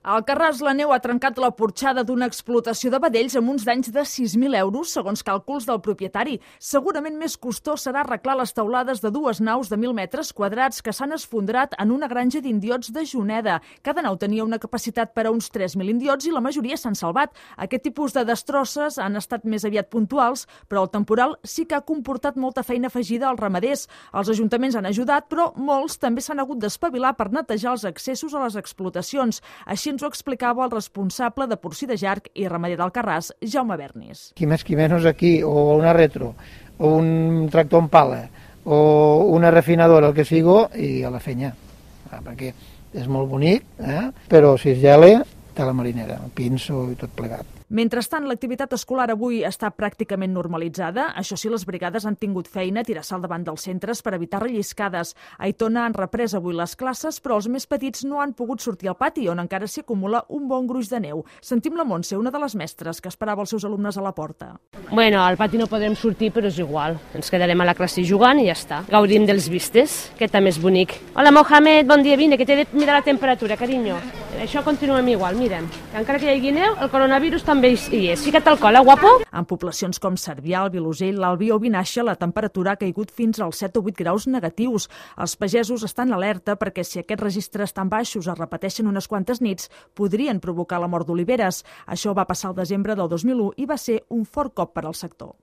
A Alcarràs, la neu ha trencat la porxada d'una explotació de vedells amb uns danys de 6.000 euros, segons càlculs del propietari. Segurament més costós serà arreglar les teulades de dues naus de 1.000 metres quadrats que s'han esfondrat en una granja d'indiots de Juneda. Cada nau tenia una capacitat per a uns 3.000 indiots i la majoria s'han salvat. Aquest tipus de destrosses han estat més aviat puntuals, però el temporal sí que ha comportat molta feina afegida als ramaders. Els ajuntaments han ajudat, però molts també s'han hagut d'espavilar per netejar els accessos a les explotacions. Així ens ho explicava el responsable de porcí de Jarc i ramader d'Alcarràs, Jaume Bernis. Qui més qui menys aquí, o una retro, o un tractor en pala, o una refinadora, el que sigui, i a la fenya. Perquè és molt bonic, però si es gela, té la marinera, el pinso i tot plegat. Mentrestant, l'activitat escolar avui està pràcticament normalitzada. Això sí, les brigades han tingut feina a tirar sal davant dels centres per evitar relliscades. A Aitona han reprès avui les classes, però els més petits no han pogut sortir al pati, on encara s'hi acumula un bon gruix de neu. Sentim la Montse, una de les mestres que esperava els seus alumnes a la porta. Bueno, al pati no podrem sortir, però és igual. Ens quedarem a la classe jugant i ja està. Gaudim dels vistes, que també és bonic. Hola, Mohamed, bon dia, vine, que t'he de mirar la temperatura, carinyo. Això continuem igual, mirem. Que encara que hi hagi neu, el coronavirus també hi és. Fica't al col, guapo? En poblacions com Cervià, el Vilosell, l'Albi o Vinaixa, la temperatura ha caigut fins als 7 o 8 graus negatius. Els pagesos estan alerta perquè si aquests registres tan baixos es repeteixen unes quantes nits, podrien provocar la mort d'oliveres. Això va passar al desembre del 2001 i va ser un fort cop per al sector.